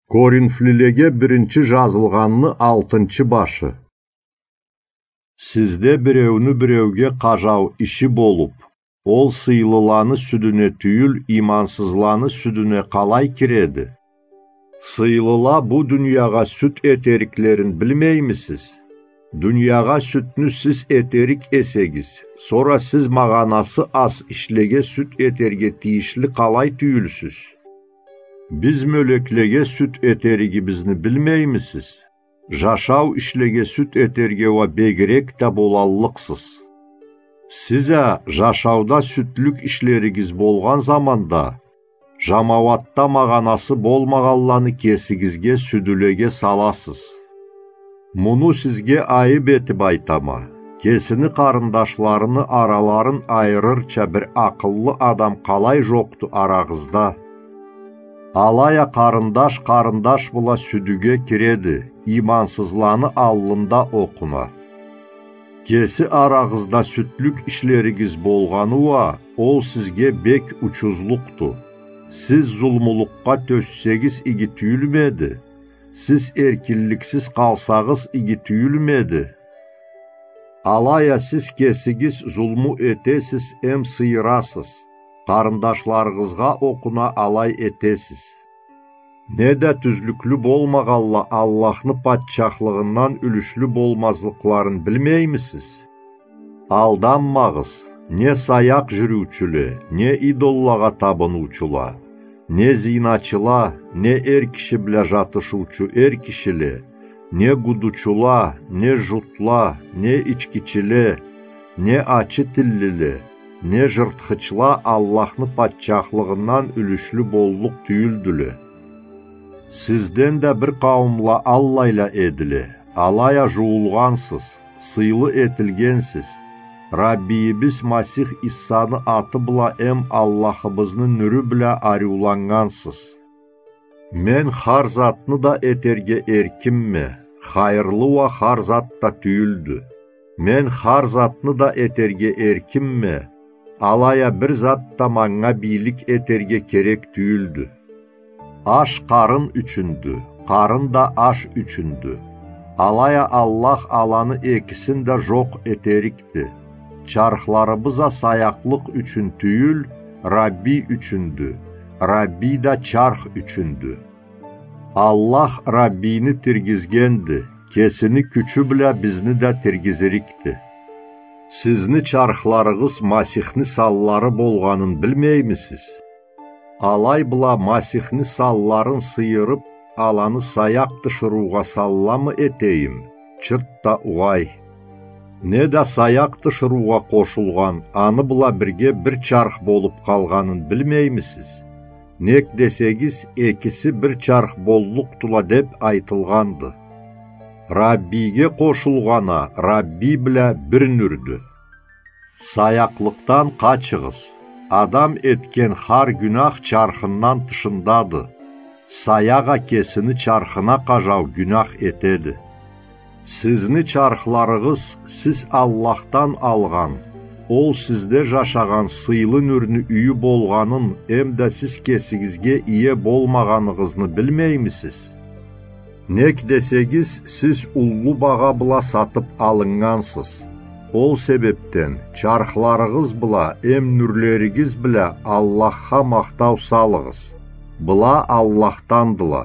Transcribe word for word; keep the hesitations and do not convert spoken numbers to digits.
Коринфлилеге биринчи жазылгъанны алтынчы башы. Сизде биреуню биреуге къажау иши болуп, ол сыйлыланы сюдюне тюйюл, имансызланы сюдюне къалай киреди? Сыйлыла бу дуниягъа сют этериклерин билмеймисиз? Дуниягъа сютню сиз этерик эсегиз, сора сиз магъанасы аз ишлеге сют этерге тийишли къалай тюйюлсюз? Биз мёлеклеге сют этеригибизни билмеймисиз? Жашау ишлеге сют этерге уа бегирек да болаллыкъсыз. Сиз а жашауда сютлюк ишлеригиз болгъан заманда, жамауатда магъанасы болмагъанланы кесигизге сюдюлеге саласыз. Муну сизге айып этип айтама: кесини къарындашларыны араларын айырырча бир акъыллы адам къалай жокъду арагъызда? Алай а къарындаш къарындаш бла сюдюге киреди, имансызланы аллында окъуна. Кеси арагъызда сютлюк ишлеригиз болгъаны уа, ол сизге бек учузлукъду. Сиз зулмулукъгъа тёссегиз, иги тюйюлмеди? Сиз эркинликсиз къалсагъыз, иги тюйюлмеди? Алай а сиз кесигиз зулму этесиз эм сыйырасыз, къарындашларыгъызгъа окъуна алай этесиз. Неда тюзлюклю болмагъанла Аллахны патчахлыгъындан юлюшлю болмазлыкъларын билмеймисиз? Алданмагъыз, не саякъ жюрюучюле, не идоллагъа табыныучула, не зиначыла, не эр киши бла жатышыучу эр кишиле, не гудучула, не жутла, не ичкичиле, не ачы тиллиле, не жыртхычла Аллахны патчахлыгъындан юлюшлю боллукъ тюйюлдюле. Сизден да бир къауумла аллайла эдиле, алай а жууулгъансыз, сыйлы этилгенсиз, Раббийибиз Масих Иссаны аты бла эм Аллахыбызны нюрю бла ариуланнгансыз. Мен хар затны да этерге эркинме, хайырлы уа хар зат да тюйюлдю. Мен хар затны да этерге эркинме, алай а бир зат да манга бийлик этерге керек тюйюлдю. Аш къарын ючюндю, къарын да аш ючюндю. Алай а Аллах аланы экисин да жокъ этерикди. Чархларыбыз а саякълыкъ ючюн тюйюл, Раббий ючюндю, Раббий да чарх ючюндю. Аллах Раббийни тиргизгенди, кесини кючю бла бизни да тиргизирикди. Сизни чархларыгъыз Масихни санлары болгъанын билмеймисиз? Алай бла Масихни санларын сыйырып, аланы саякъ тиширыугъа санламы этейим? Чырт да угъай. Неда саякъ тиширыугъа къошулгъан аны бла бирге бир чарх болуп къалгъанын билмеймисиз? Нек десегиз, экиси бир чарх боллукъдула деп айтылгъанды. Раббийге къошулгъан а Раббий бла бир нюрдю. Саякълыкъдан къачыгъыз. Адам этген хар гюнах чархындан тышындады. Саякъ а кесини чархына къажау гюнах этеди. Сизни чархларыгъыз сиз Аллахдан алгъан, ол сизде жашагъан сыйлы нюрню юйю болгъанын эмда сиз кесигизге ие болмагъаныгъызны билмеймисиз? Нек десегиз, сиз уллу багъа бла сатып алыннгансыз. Ол себепден чархларыгъыз бла эм нюрлеригиз бла Аллахха махтау салыгъыз. Была Аллахдандыла.